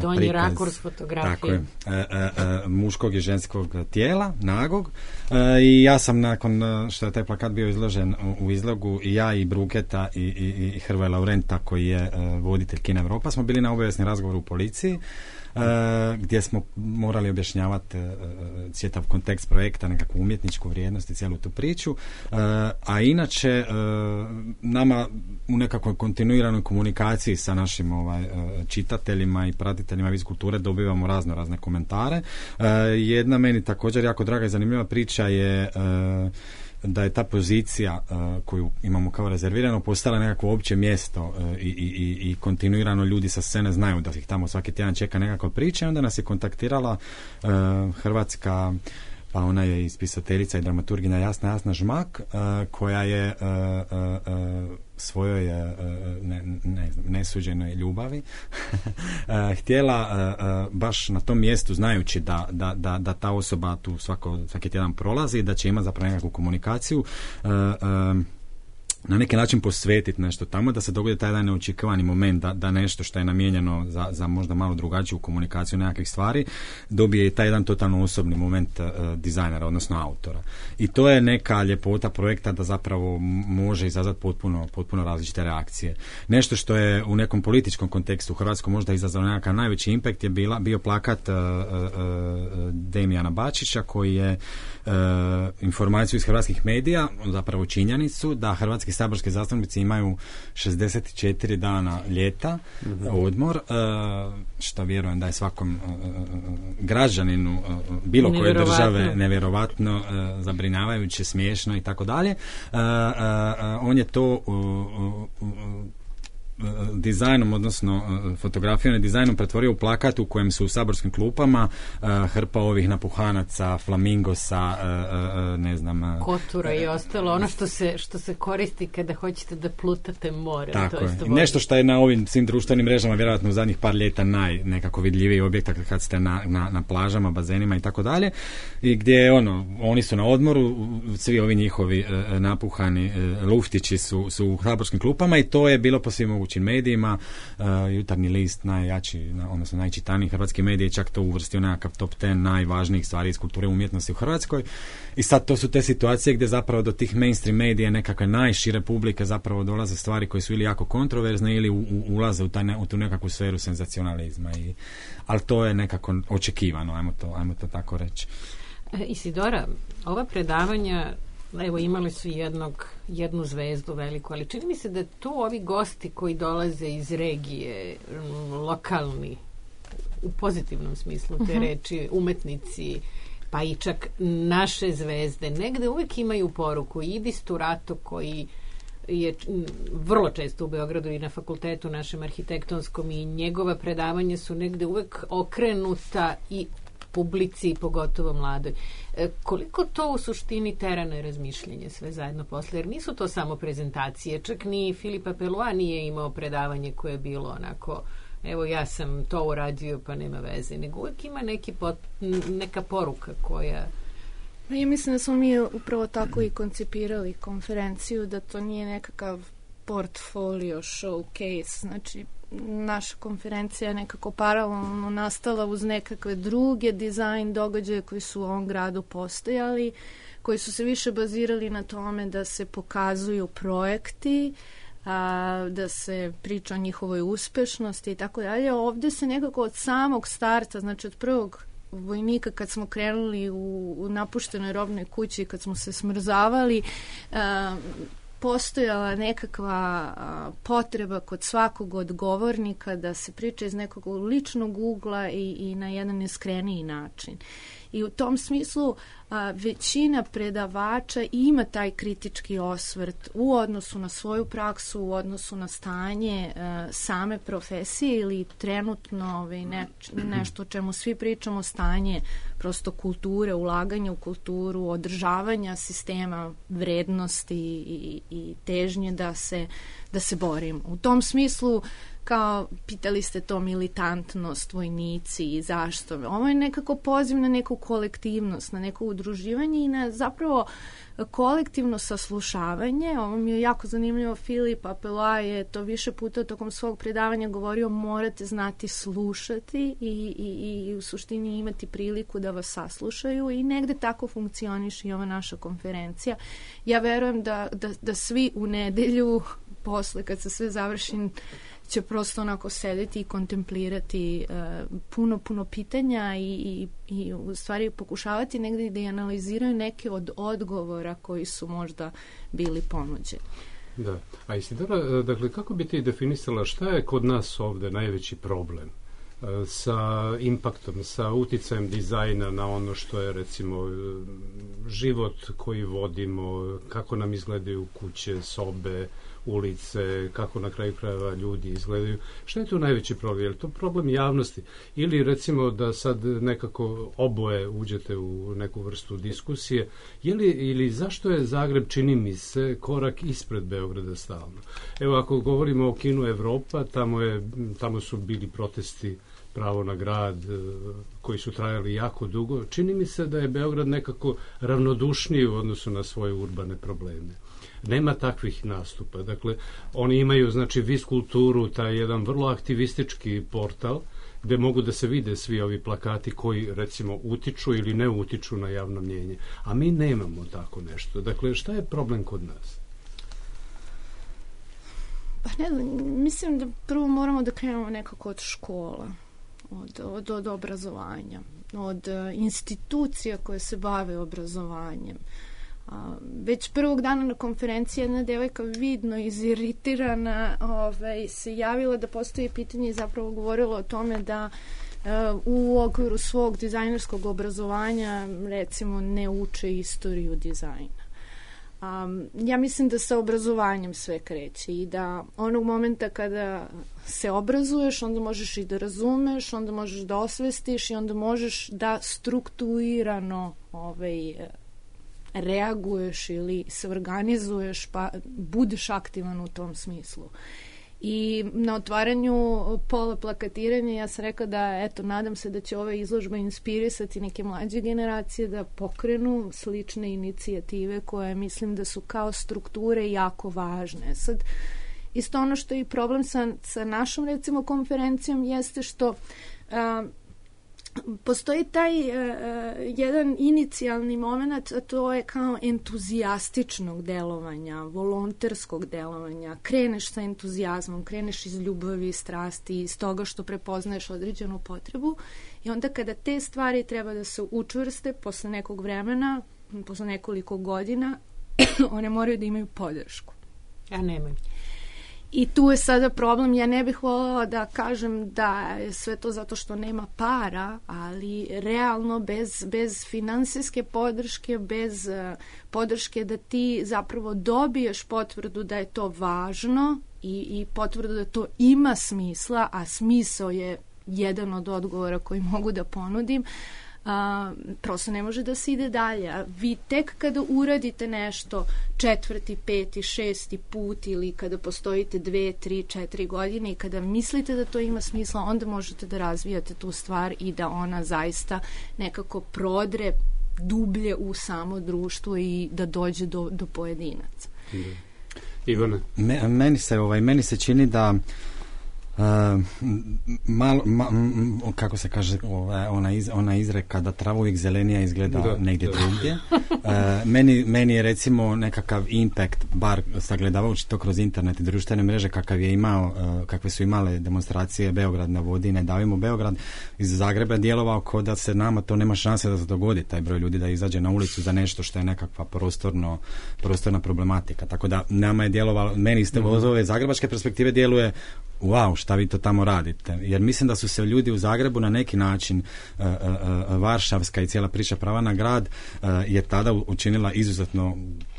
Speaker 2: donji
Speaker 7: prikaz.
Speaker 2: rakurs fotografije.
Speaker 7: Tako je. Muškog i ženskog tijela, nagog. I ja sam nakon što je taj plakat bio izložen u izlogu, i ja i Bruketa i Hrvoje Laurenta koji je voditelj Kina Evropa smo bili na obavijesni razgovor u policiji gdje smo morali objašnjavati čitav kontekst projekta, nekakvu umjetničku vrijednost i cijelu tu priču, a inače nama u nekakvoj kontinuiranoj komunikaciji sa našim čitateljima i pratiteljima iz kulture dobivamo razne komentare. Jedna meni također jako draga i zanimljiva priča je da je ta pozicija koju imamo kao rezervirano postala nekako opće mjesto i kontinuirano ljudi sa scene znaju da ih tamo svaki tjedan čeka nekakva priča, i onda nas je kontaktirala hrvatska, pa ona je ispisateljica i dramaturginja Jasna Žmak, koja je svojoj nesuđenoj ljubavi htjela baš na tom mjestu, znajući da ta osoba tu svaki tjedan prolazi, da će imati zapravo nekakvu komunikaciju, na neki način posvetiti nešto tamo, da se dogodi taj jedan neočekivani moment, da nešto što je namijenjeno za možda malo drugačiju komunikaciju nekakvih stvari, dobije i taj jedan totalno osobni moment dizajnera, odnosno autora. I to je neka ljepota projekta, da zapravo može izazvati potpuno različite reakcije. Nešto što je u nekom političkom kontekstu u Hrvatskoj možda izazvalo nekakav najveći impact je bio plakat Damijana Bačića, koji je informaciju iz hrvatskih medija, zapravo činjenicu da hrvatski saborski zastupnici imaju 64 dana ljeta, odmor, što vjerujem da je svakom građaninu bilo koje države nevjerovatno, zabrinjavajuće, smiješno i tako dalje. On je to dizajnom, odnosno fotografijom i dizajnom pretvorio u plakat u kojem su u saborskim klupama hrpa ovih napuhanaca, flamingosa, ne znam,
Speaker 2: kotura i ostalo, ono što se koristi kada hoćete da plutate more.
Speaker 7: Tako je. Nešto što je na ovim svim društvenim mrežama vjerojatno u zadnjih par ljeta nekako vidljiviji objekt kad ste na plažama, bazenima i tako dalje, i gdje oni su na odmoru, svi ovi njihovi napuhani luftići su u saborskim klupama, i to je bilo po svim mogućim medijima. Jutarnji list, najjači, odnosno najčitaniji hrvatski mediji, čak to uvrstio nekakav top 10 najvažnijih stvari iz kulture i umjetnosti u Hrvatskoj. I sad to su te situacije gdje zapravo do tih mainstream medija, nekakve najšire publike, zapravo dolaze stvari koje su ili jako kontroverzne ili ulaze u tu nekakvu sferu senzacionalizma. Ali to je nekako očekivano, ajmo to tako reći.
Speaker 2: Isidora, ova predavanja, evo, imali su jednu zvezdu veliku, ali čini mi se da tu ovi gosti koji dolaze iz regije, lokalni, u pozitivnom smislu te reči, umetnici, pa i čak naše zvezde, negde uvijek imaju poruku. Idis Turato, koji je vrlo često u Beogradu i na fakultetu našem arhitektonskom, i njegova predavanja su negde uvijek okrenuta i publici, pogotovo mladoj. Koliko to u suštini tera na razmišljenje sve zajedno posle? Jer nisu to samo prezentacije, čak ni Philippe Pellois nije imao predavanje koje je bilo onako, evo ja sam to uradio pa nema veze, nego uvijek ima neka poruka koja...
Speaker 8: Ja mislim da smo mi upravo tako i koncipirali konferenciju, da to nije nekakav portfolio showcase, znači naša konferencija je nekako paralelno nastala uz nekakve druge dizajn događaje koji su u ovom gradu postojali, koji su se više bazirali na tome da se pokazuju projekti, da se priča o njihovoj uspešnosti i tako dalje. Ovdje se nekako od samog starta, znači od prvog vojnika kad smo krenuli u napuštenoj robnoj kući, kad smo se smrzavali, postojala nekakva potreba kod svakog od govornika da se priča iz nekog ličnog ugla i na jedan iskreniji način. I u tom smislu većina predavača ima taj kritički osvrt u odnosu na svoju praksu, u odnosu na stanje same profesije ili trenutno nešto o čemu svi pričamo, stanje prosto kulture, ulaganja u kulturu, održavanja sistema vrednosti i težnje da se borim. U tom smislu, kao pitali ste to militantnost, vojnici i zašto. Ovo je nekako poziv na neku kolektivnost, na neko udruživanje i na zapravo kolektivno saslušavanje. Ovo mi je jako zanimljivo. Philippe Pellois je to više puta tokom svog predavanja govorio, morate znati slušati i u suštini imati priliku da vas saslušaju i negde tako funkcioniše i ova naša konferencija. Ja verujem da svi u nedelju posle kad se sve završi će prosto onako sedeti i kontemplirati puno pitanja i u stvari pokušavati negdje da i analiziraju neke od odgovora koji su možda bili ponuđeni.
Speaker 3: Da, a Isidora, dakle, kako bi ti definisala šta je kod nas ovdje najveći problem sa impaktom, sa uticajem dizajna na ono što je recimo život koji vodimo, kako nam izgledaju kuće, sobe, ulice, kako na kraju krajeva ljudi izgledaju. Šta je tu najveći problem? Je li to problem javnosti? Ili recimo da sad nekako oboje uđete u neku vrstu diskusije, ili zašto je Zagreb, čini mi se, korak ispred Beograda stalno? Evo, ako govorimo o kinu Evropa, tamo su bili protesti pravo na grad koji su trajali jako dugo. Čini mi se da je Beograd nekako ravnodušniji u odnosu na svoje urbane probleme. Nema takvih nastupa. Dakle, oni imaju, znači, Vis kulturu, taj jedan vrlo aktivistički portal gde mogu da se vide svi ovi plakati koji, recimo, utiču ili ne utiču na javno mnjenje. A mi nemamo tako nešto. Dakle, šta je problem kod nas?
Speaker 8: Pa ne znam, mislim da prvo moramo da krenemo nekako od škola, od obrazovanja, od institucija koje se bave obrazovanjem. Već prvog dana na konferenciji jedna devojka vidno iziritirana se javila da postoji pitanje i zapravo govorila o tome da u okviru svog dizajnerskog obrazovanja recimo ne uče istoriju dizajna. Ja mislim da sa obrazovanjem sve kreće i da onog momenta kada se obrazuješ, onda možeš i da razumeš, onda možeš da osvestiš i onda možeš da strukturirano reaguješ ili se organizuješ pa budeš aktivan u tom smislu. I na otvaranju pola plakatiranja ja sam rekla da, eto, nadam se da će ova izložba inspirisati neke mlađe generacije da pokrenu slične inicijative koje mislim da su kao strukture jako važne. Sad, isto ono što je i problem sa našom, recimo, konferencijom jeste što postoji taj jedan inicijalni moment, a to je kao entuzijastičnog delovanja, volonterskog delovanja. Kreneš sa entuzijazmom, kreneš iz ljubavi i strasti, iz toga što prepoznaješ određenu potrebu i onda kada te stvari treba da se učvrste posle nekog vremena, posle nekoliko godina, one moraju da imaju podršku.
Speaker 2: A nemaju.
Speaker 8: I tu je sada problem, ja ne bih voljela da kažem da je sve to zato što nema para, ali realno bez finansijske podrške, bez podrške da ti zapravo dobiješ potvrdu da je to važno i potvrdu da to ima smisla, a smisao je jedan od odgovora koji mogu da ponudim, prosto ne može da se ide dalje. A vi tek kada uradite nešto 4., 5., 6. put ili kada postojite 2, 3, 4 godine i kada mislite da to ima smisla, onda možete da razvijate tu stvar i da ona zaista nekako prodre dublje u samo društvo i da dođe do pojedinaca.
Speaker 3: Ivane?
Speaker 7: Meni se čini da kako se kaže ona izreka da trava uvijek zelenija izgleda negdje drugdje. Meni je recimo nekakav impact, bar sagledavajući to kroz internet i društvene mreže kakve su imale demonstracije Beograd na vodi, ne davimo Beograd, iz Zagreba djelovao kao da se nama to nema šanse da se dogodi, taj broj ljudi da izađe na ulicu za nešto što je nekakva prostorna problematika. Tako da nama je djelovalo, meni iz ove zagrebačke perspektive djeluje wow, šta vi to tamo radite? Jer mislim da su se ljudi u Zagrebu na neki način Varšavska i cijela priča prava na grad je tada učinila izuzetno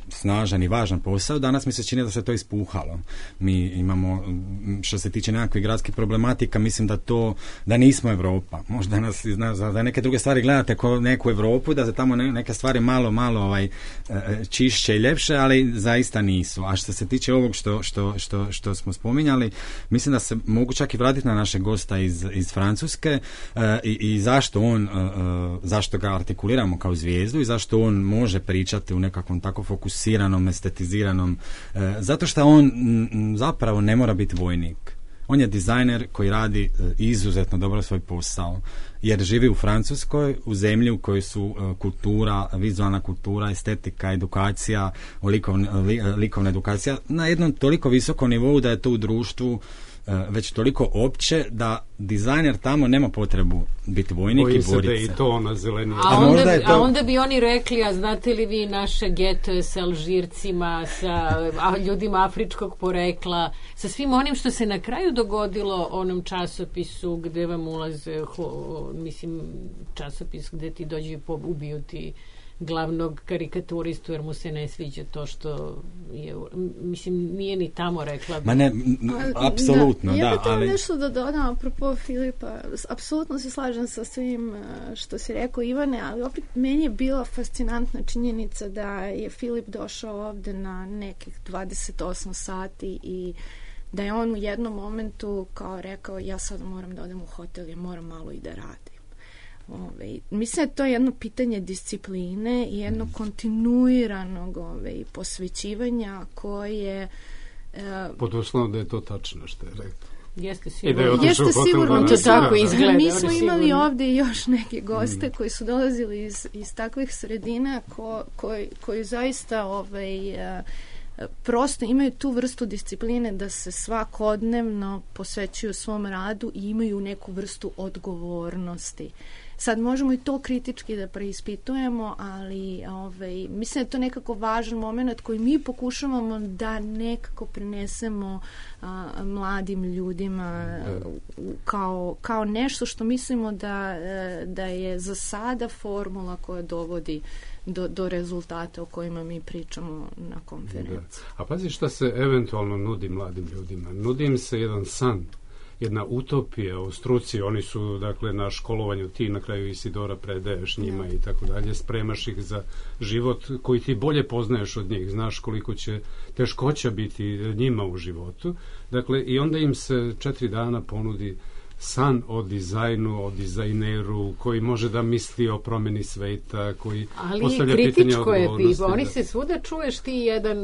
Speaker 7: snažan i važan posao. Danas mi se čini da se to ispuhalo. Mi imamo, što se tiče nekakvih gradskih problematika, mislim da nismo Europa. Možda nas za neke druge stvari gledate kao neku Europu, da se tamo neke stvari malo čišće i ljepše, ali zaista nisu. A što se tiče ovog što smo spominjali, mislim da se mogu čak i vratiti na našeg gosta iz Francuske i zašto ga artikuliramo kao zvijezdu i zašto on može pričati u nekakvom tako fokusiranom, estetiziranom, zato što on zapravo ne mora biti vojnik. On je dizajner koji radi izuzetno dobro svoj posao, jer živi u Francuskoj, u zemlji u kojoj su kultura, vizualna kultura, estetika, edukacija, likovna edukacija na jednom toliko visokom nivou da je to u društvu već toliko opće da dizajner tamo nema potrebu biti vojnik i boriti se.
Speaker 3: I to na zeleni.
Speaker 2: A onda bi oni rekli, a znate li vi naše getoje sa Alžircima, sa ljudima afričkog porekla, sa svim onim što se na kraju dogodilo onom časopisu gde vam ulaze, časopis gde ti dođe ubiju ti glavnog karikaturistu jer mu se ne sviđa to što je, nije ni tamo rekla.
Speaker 7: Ma ne, apsolutno,
Speaker 8: ja bih ali nešto da dodam apropo Filipa. Apsolutno se slažem sa svim što si rekao, Ivane, ali opet meni je bila fascinantna činjenica da je Filip došao ovde na nekih 28 sati i da je on u jednom momentu kao rekao, ja sad moram da odem u hotel, ja moram malo i da radim. Mislim da to je jedno pitanje discipline i jedno kontinuiranog posvećivanja koje
Speaker 3: pod uslovom da je to tačno što je rekao.
Speaker 2: Jeste
Speaker 8: sigurno
Speaker 2: to tako izgleda.
Speaker 8: Mi smo imali ovdje još neke goste koji su dolazili iz takvih sredina koji zaista prosto imaju tu vrstu discipline da se svakodnevno posvećuju svom radu i imaju neku vrstu odgovornosti. Sad možemo i to kritički da preispitujemo, ali mislim da je to nekako važan moment koji mi pokušavamo da nekako prenesemo mladim ljudima kao nešto što mislimo da je za sada formula koja dovodi do rezultata o kojima mi pričamo na konferenciji.
Speaker 3: A pazi šta se eventualno nudi mladim ljudima. Nudi im se jedan san, jedna utopija u struci, oni su dakle na školovanju, ti na kraju Isidora predaješ njima i tako dalje, spremaš ih za život koji ti bolje poznaješ od njih, znaš koliko će teškoća biti njima u životu, dakle i onda im se 4 dana ponudi san o dizajnu, o dizajneru koji može da misli o promjeni sveta, koji postavlja pitanje odgovornosti.
Speaker 2: Oni se svuda čuješ ti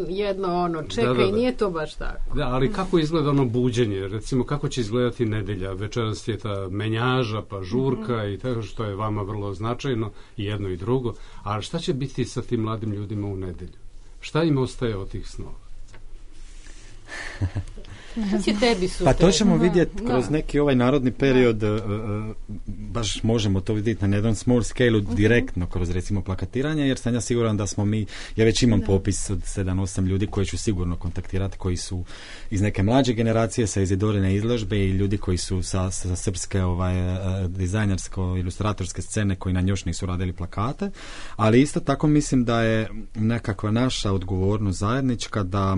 Speaker 2: jedno čekaj, nije to baš tako.
Speaker 3: Da, ali kako izgleda ono buđenje? Recimo, kako će izgledati nedelja? Večeras je ta menjaža, pa žurka i tako što je vama vrlo značajno, i jedno i drugo. A šta će biti sa tim mladim ljudima u nedelju? Šta im ostaje od tih snova?
Speaker 7: Pa to ćemo vidjeti kroz neki ovaj narodni period, baš možemo to vidjeti na jednom small scale-u direktno kroz recimo plakatiranje, jer sam ja siguran da smo mi, ja već imam popis od 7-8 ljudi koje ću sigurno kontaktirati, koji su iz neke mlađe generacije sa Izidorine izložbe i ljudi koji su sa srpske dizajnersko-ilustratorske scene koji na još nisu radili plakate, ali isto tako mislim da je nekakva naša odgovornost zajednička da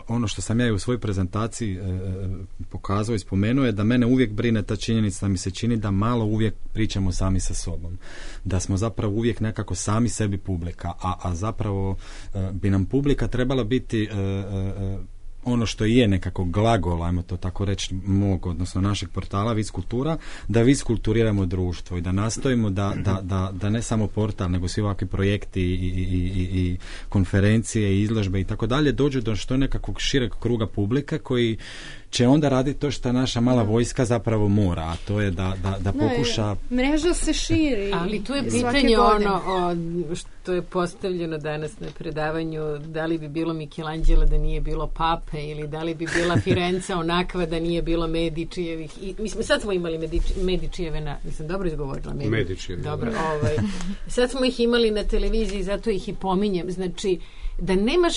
Speaker 7: ono što sam ja i u svojoj prezentaciji pokazao i spomenuo je da mene uvijek brine ta činjenica, da mi se čini da malo uvijek pričamo sami sa sobom. Da smo zapravo uvijek nekako sami sebi publika, a zapravo bi nam publika trebala biti ono što je nekako glagol, ajmo to tako reći, mog, odnosno našeg portala Viz Kultura, da viskulturiramo društvo i da nastojimo da ne samo portal, nego svi ovakvi projekti i konferencije i izložbe i tako dalje dođu do što nekakvog šireg kruga publike koji će onda raditi to što naša mala vojska zapravo mora, a to je da pokuša...
Speaker 8: Mreža se širi.
Speaker 2: Ali tu je pitanje ono što je postavljeno danas na predavanju, da li bi bilo Michelangelo da nije bilo Pape, ili da li bi bila Firenca onakva da nije bilo Medičijevih. Mislim, sad smo imali Medičijeve mislim, dobro izgovorila.
Speaker 3: Medičijeve.
Speaker 2: Dobro, sad smo ih imali na televiziji, zato ih i pominjem. Znači, da nemaš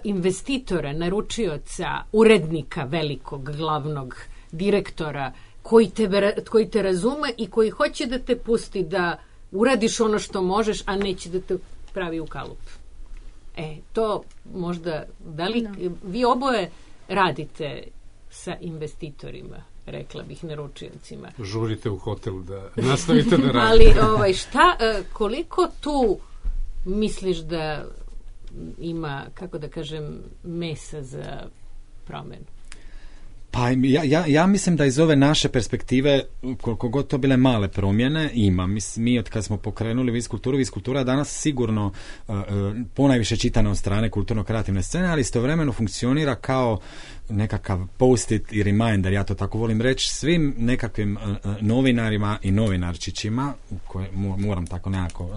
Speaker 2: investitora, naručioca, urednika velikog, glavnog, direktora, koji te razume i koji hoće da te pusti da uradiš ono što možeš, a neće da te pravi u kalup. To možda vi oboje radite sa investitorima, rekla bih, naručiocima.
Speaker 3: Žurite u hotel da nastavite da radite.
Speaker 2: Ali koliko tu misliš da ima, kako da kažem, mesa za promenu?
Speaker 7: Pa ja mislim da iz ove naše perspektive, koliko god to bile male promjene, ima. Mi od kad smo pokrenuli Viz Kultura danas sigurno ponajviše čitana od strane kulturno-kreativne scene, ali istovremeno funkcionira kao nekakav post-it i reminder, ja to tako volim reći, svim nekakvim novinarima i novinarčićima, koje moram tako nekako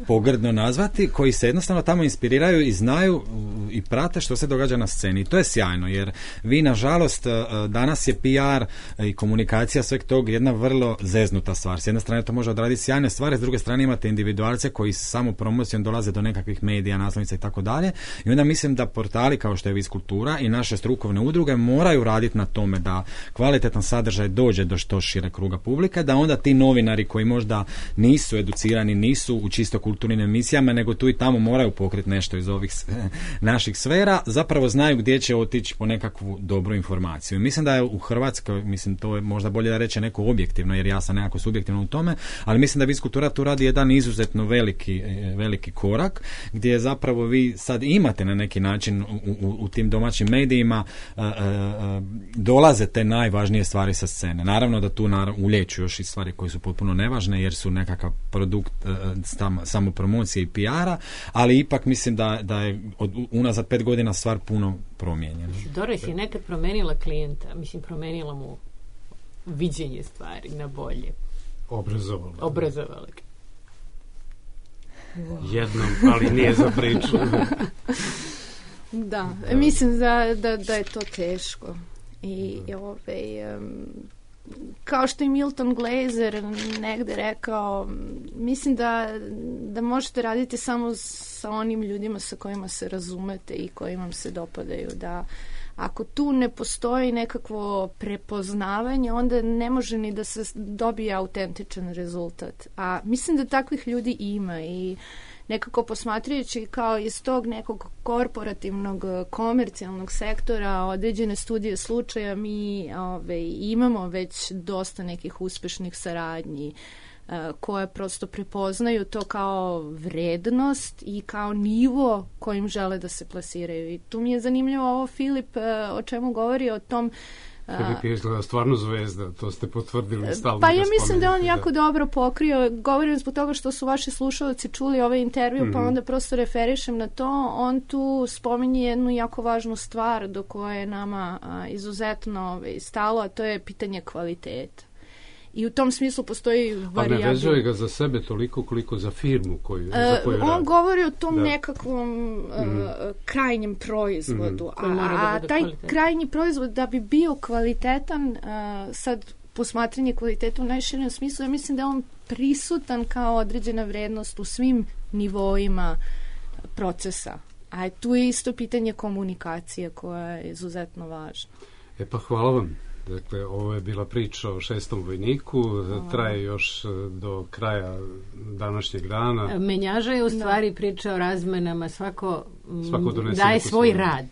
Speaker 7: pogrdno nazvati, koji se jednostavno tamo inspiriraju i znaju i prate što se događa na sceni. I to je sjajno, jer vi, nažalost, danas je PR i komunikacija sveg tog jedna vrlo zeznuta stvar. S jedne strane to može odraditi sjajne stvari, s druge strane imate individualce koji samo promocijom dolaze do nekakvih medija, naslovnica i tako dalje. I onda mislim da portali kao što je Viz Kultura i naše strukovne udruge moraju raditi na tome da kvalitetan sadržaj dođe do što šire kruga publike, da onda ti novinari koji možda nisu educirani, nisu u čisto kulturnim emisijama, nego tu i tamo moraju pokriti nešto iz ovih naših sfera, zapravo znaju gdje će otići po nekakvu dobru informaciju. Mislim da je u Hrvatskoj, mislim, to je možda bolje da reče neko objektivno, jer ja sam nekako subjektivno u tome, ali mislim da Viz Kultura tu radi jedan izuzetno veliki korak, gdje zapravo vi sad imate na neki način u tim domaćim medijima dolaze te najvažnije stvari sa scene. Naravno da tu ulijeću još i stvari koje su potpuno nevažne, jer su nekakav produkt samo promocije i PR-a, ali ipak mislim da je unazad 5 godina stvar puno promijenjena.
Speaker 2: Doris je nekad promenila klijenta, mislim, promenila mu viđenje stvari na bolje. Obrazovala.
Speaker 3: Jednom, ali nije za priču.
Speaker 8: Da, mislim da je to teško. I kao što je Milton Glaser negde rekao, mislim da možete raditi samo sa onim ljudima sa kojima se razumete i koji vam se dopadaju. Da ako tu ne postoji nekakvo prepoznavanje, onda ne može ni da se dobije autentičan rezultat. A mislim da takvih ljudi ima i nekako posmatrajući kao iz tog nekog korporativnog, komercijalnog sektora, određene studije slučaja, mi imamo već dosta nekih uspešnih saradnji koje prosto prepoznaju to kao vrednost i kao nivo kojim žele da se plasiraju. I tu mi je zanimljivo ovo Filip o čemu govori, o tom
Speaker 3: Filip je izgleda stvarno zvezda, to ste potvrdili stalno.
Speaker 8: Pa ja mislim da on jako dobro pokrio, govorim zbog toga što su vaši slušalci čuli ovaj intervju, pa onda prosto referišem na to. On tu spominje jednu jako važnu stvar do koje je nama izuzetno stalo, a to je pitanje kvaliteta. I u tom smislu postoji varijabla.
Speaker 3: A ne vezuje ga za sebe toliko koliko za firmu za koju radi.
Speaker 8: On govori o tom nekakvom krajnjem proizvodu. A taj krajnji proizvod da bi bio kvalitetan, sad posmatranje kvaliteta u najširem smislu, ja mislim da je on prisutan kao određena vrednost u svim nivoima procesa. A tu je isto pitanje komunikacije koja je izuzetno važna.
Speaker 3: Pa hvala vam. Dakle, ovo je bila priča o 6. vojniku, traje još do kraja današnjeg dana.
Speaker 2: Menjaža je u stvari priča o razmenama, svako daje svoj rad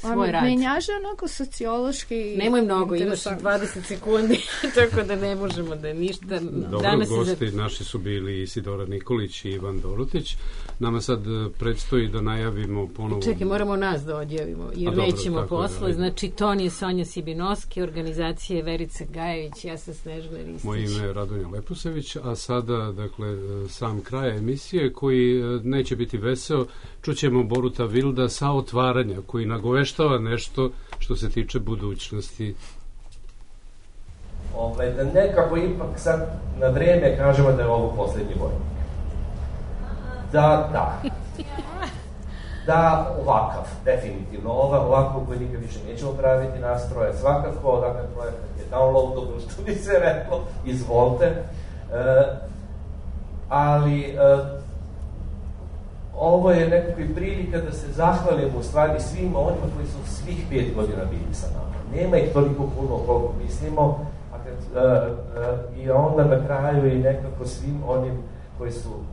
Speaker 2: svoj rad.
Speaker 8: Menjaže onako sociološki.
Speaker 2: Nemoj mnogo, imaš 20 sekundi, tako da ne možemo da ništa.
Speaker 3: Dobro, gosti naši su bili Isidora Nikolić i Ivan Dorotić. Nama sad predstoji da najavimo ponovo...
Speaker 2: Čekaj, moramo nas da odjavimo, jer nećemo posle. Znači, ton je Sonja Sibinoski, organizacije Verica Gajević, ja sam Snežana Ristić.
Speaker 3: Moje ime je Radonja Lepusević, a sada, dakle, sam kraj emisije koji neće biti veseo. Čućemo Boruta Vilda sa otvaranja, koji nagoveštava nešto što se tiče budućnosti.
Speaker 5: Da nekako ipak sad na vreme kažemo da je ovo poslednji vojnik. Da, ovakav, definitivno. Ovakvog vojnika više nećemo praviti nastroje. Svakako, dakle, projekat je downloadable, što bi se reklo, izvolite. Ali ovo je nekako i prilika da se zahvalimo u stvari svima onima koji su svih 5 godina bili sa nama. Nema ih toliko puno koliko mislimo, i onda na kraju i nekako svim onim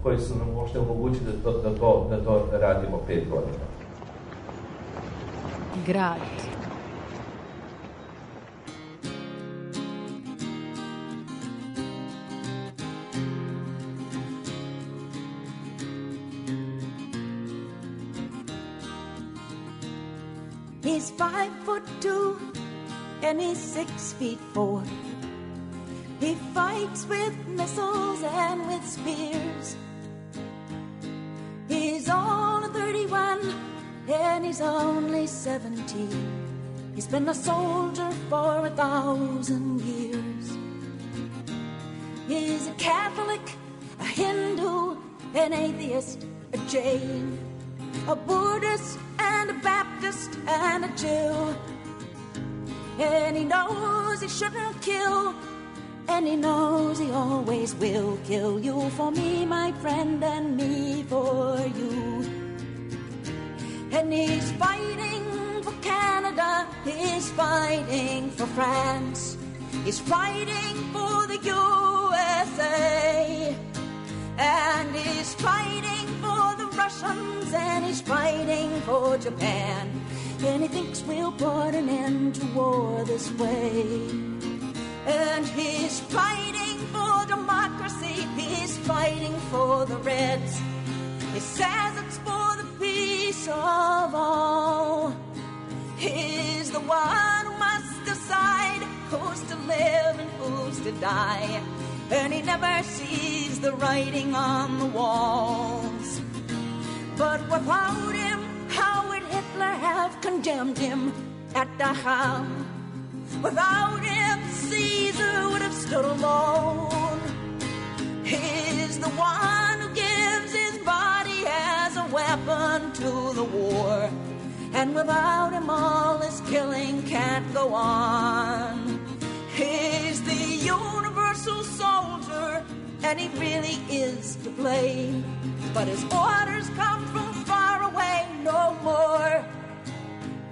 Speaker 5: koji su nam možda omogućili da to radimo 5 godina.
Speaker 2: Grad.
Speaker 11: He's 5'2" and he's 6'4". He fights with missiles and with spears. He's on a 31 and he's only 17. He's been a soldier for 1,000 years. He's a Catholic, a Hindu, an atheist, a Jain, a Buddhist and a Baptist and a Jew. And he knows he shouldn't kill, and he knows he always will kill you for me, my friend, and me for you. And he's fighting for Canada, he's fighting for France, he's fighting for the USA, and he's fighting for the Russians, and he's fighting for Japan, and he thinks we'll put an end to war this way. And he's fighting for democracy, he's fighting for the Reds. He says it's for the peace of all. He's the one who must decide who's to live and who's to die. And he never sees the writing on the walls. But without him, how would Hitler have condemned him at Dachau? Without him, Caesar would have stood alone. He's the one who gives his body as a weapon to the war. And without him, all this killing can't go on. He's the universal soldier, and he really is to blame. But his orders come from far away no more.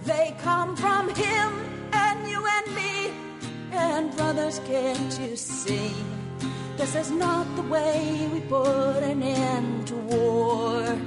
Speaker 11: They come from him and you and me. And brothers, can't you see? This is not the way we put an end to war.